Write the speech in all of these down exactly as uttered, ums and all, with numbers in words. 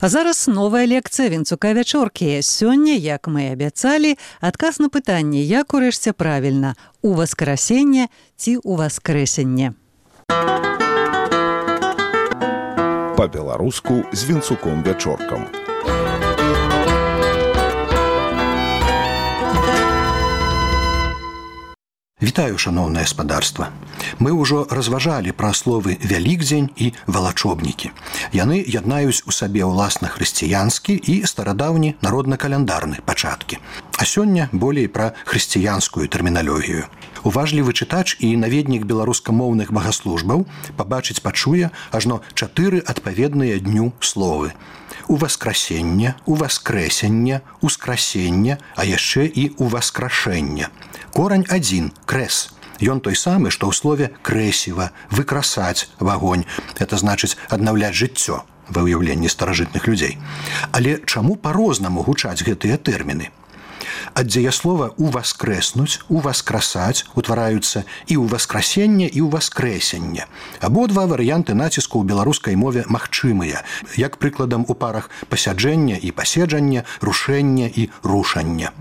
А зараз новая лекцыя Вінцука Вячоркі. Сёння, як мы і абяцалі, адказ на пытанне, як урэшце правільна, у васкрасенне ці у васкрэсенне. Па-беларуску з Вінцуком Вячоркам. Вітаю, шаноўнае гаспадарства. Мы ўжо разважалі пра словы «вялікдзень» і «валачобнікі». Яны яднаюць у сабе ўласна хрысціянскі і старадаўні народна-каляндарны пачаткі. А сёння болей пра хрысціянскую тэрміналогію. Уважлівы чытач і наведнік беларускамоўных багаслужбаў пабачыць пачуе ажно чатыры адпаведныя дню словы. Уваскрасенне, уваскрэсенне, ускрасенне, а яшчэ і уваскрашэнне. Корань адзін – крэс. Ён той самы, што ў слове «крэсіва», «выкрасаць» вагонь. Это значыць аднаўляць жыццё ва ўяўленні старажытных людзей. Але чаму па-рознаму гучаць гэтыя тэрміны? Ад дзеяслова «уваскрэснуць», «уваскрасаць» утвараюцца і ўваскрасенне, і ўваскрэсенне. Абодва варыянты націску ў беларускай мове магчымыя, як прыкладам у парах пасяджэння і паседжання, рушэння і рушання.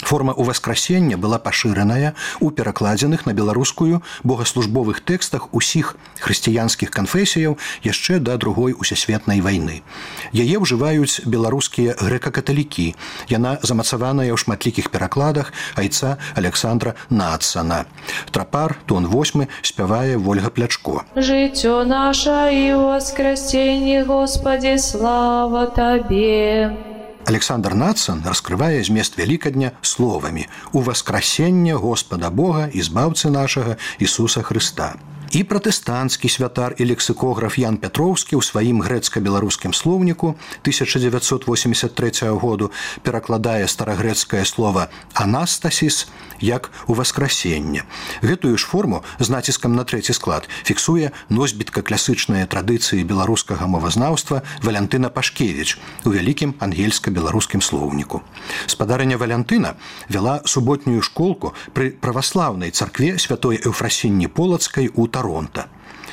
Форма «уваскрасення» была пашыраная ў перакладзеных на беларускую богаслужбовых тэкстах усіх хрысціянскіх канфесіяў яшчэ да другой усесветнай вайны. Яе ўжываюць беларускія грэка-каталікі. Яна замацаваная ў шматлікіх перакладах айца Александра Нацана. Трапар, тон восьмы, спявае Вольга Плячко. Жыццё наша і ўваскрасенне, Господи, слава Табе. Александр Нацан раскрывае змест Вялікадня словамі «Уваскрасенне Господа Бога і збаўцы нашага Ісуса Хрыста». І пратэстанцкі святар і лексікограф Ян Пятроўскі ў сваім грэцка-беларускім слоўніку тысяча дзевяцьсот восемьдесят трэцяга году перакладае старагрэцкае слова «анастасіс» як «уваскрасенне». Гэтую ж форму з націскам на трэці склад фіксуе носьбітка класычнай традыцыі беларускага мовазнаўства Валянтына Пашкевіч у вялікім ангельска-беларускім слоўніку. Спадарыня Валянтына вяла суботнюю школку пры праваслаўнай царкве святой Эўфрасіні Полацкай у Таронта.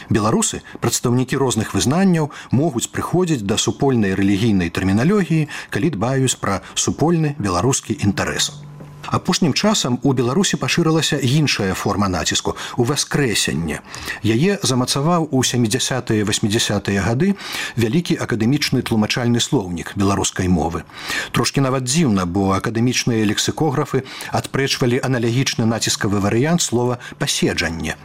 Беларусы, прадстаўнікі розных вызнанняў, могуць прыходзіць да супольнай рэлігійнай тэрміналогіі, калі дбаюць пра супольны беларускі інтарэс. Апошнім часам у Беларусі пашырылася іншая форма націску – уваскрэсенне. Яе замацаваў у сямідзясятыя васьмідзясятыя гады вялікі акадэмічны тлумачальны слоўнік беларускай мовы. Трошкі нават дзіўна, бо акадэмічныя лексікографы адпрэчвалі аналагічны націскавы варыянт слова «паседжанне».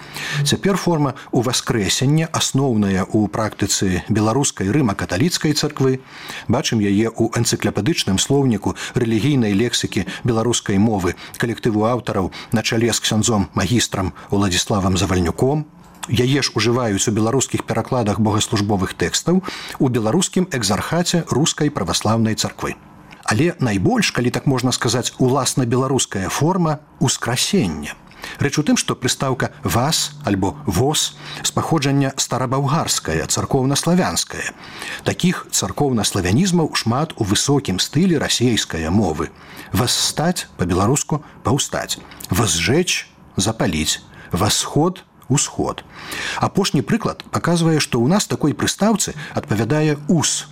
Цяпер форма «уваскрэсення» асноўная ў практыцы беларускай рыма-каталіцкай царквы. Бачым яе ў энцыклапедычным слоўніку рэлігійнай лексікі беларускай мовы мовы калектыву аўтараў на чале з ксяндзом магістрам Уладзіславам Завальнюком. Яе ж ужываюць у беларускіх перакладах богаслужбовых тэкстаў у беларускім экзархаце рускай праваслаўнай царквы. Але найбольш, калі так можна сказаць, уласна беларуская форма ускрасення. Рэч у тым, што прыстаўка «вас» альбо «вос» з паходжання старабаўгарская, царкоўна-славянская. Такіх царкоўна-славянізмаў шмат у высокім стылі расейскай мовы. «Восстаць» па-беларуску «паўстаць», «возжечь» – «запаліць», «восход» – «усход». Апошні прыклад паказвае, што ў нас такой прыстаўцы адпавядае «ус».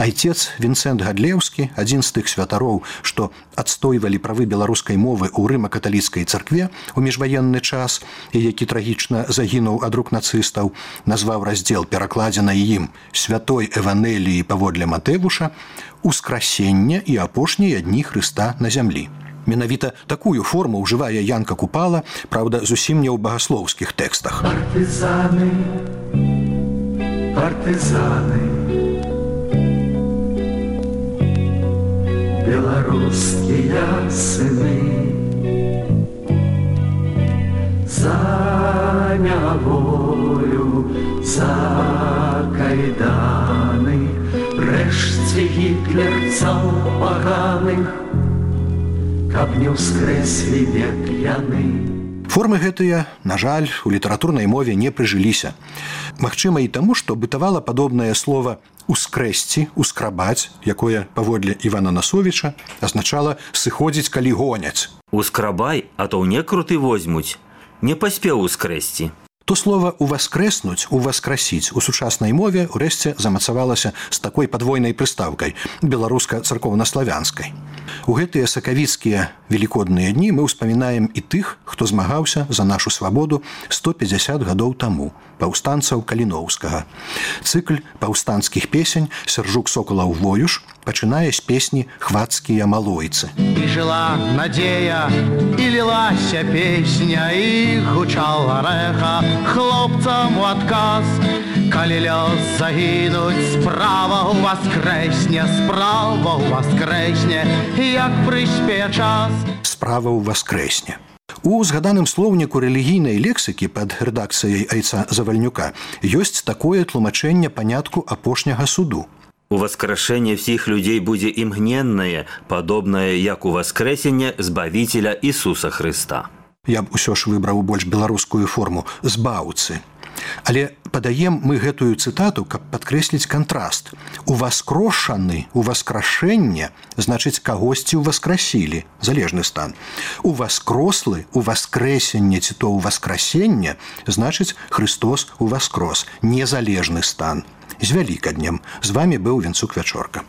Айцец Вінцэнт Гадлеўскі, адзін з тых святароў, што адстойвалі правы беларускай мовы ў рыма-каталіцкай царкве ў міжваенны час і які трагічна загінуў ад рук нацыстаў, назваў раздзел, перакладзенай ім «Святой Эванеліі паводле Матэвуша» «Ускрасення і апошнія дні Хрыста на зямлі». Менавіта такую форму ўжывае Янка Купала, праўда, зусім не ў багаслоўскіх тэкстах. Партызаны, партызаны, беларускія сыны, за няволю, за кайданы, рэшце гітлерцаў паганых, каб не ўскрэслі век яны. Формы гэтыя, на жаль, у літаратурнай мове не прыжыліся. Магчыма і таму, што бытавала падобнае слова «ускрэсці», «ускрабаць», якое, паводле Івана Насовіча, азначала «сыходзіць, калі гоняць». «Ускрабай, а то ў некруты возьмуць, не паспеў ускрэсці». То слова «уваскреснуць», «уваскрасіць» у сучаснай мове ўрэшце замацавалася з такой падвойнай прыстаўкай беларуска-царкоўна-славянскай. У гэтыя сакавіцкія велікодныя дні мы ўспамінаем і тых, хто змагаўся за нашу свабоду сто пятьдесят гадоў таму, паўстанцаў Каліноўскага. Цыкль паўстанцкіх песень Сяржук Сокалаў Воюш пачынае з песні «Хвацкія малойцы». І жила надзея, і лілася песня, і гучала рэха хлопцам у адказ. Калі лёс загінуць, справа ў васкрэсне, справа ў васкрэсне, як прыспее час. Справа ў васкрэсне. У згаданым слоўніку рэлігійнай лексікі пад рэдакцыяй Айца Завальнюка ёсць такое тлумачэнне панятку апошняга суду. Уваскрашэнне всіх людзей будзе імгненнае, падобнае як у васкрэсенне Збавіцеля Ісуса Хрыста. Я б усё ж выбраў больш беларускую форму «збаўцы». Але падаем мы гэтую цытату, каб падкрэсліць кантраст. Уваскрошаны, уваскрашэнне, значыць, кагосьці ўваскрасілі, залежны стан. Уваскрослы, уваскрэсенне ці то ўваскрасенне, значыць, Христос уваскрос, незалежны стан. З вялікаднем. З вамі быў Вінцук Вячорка.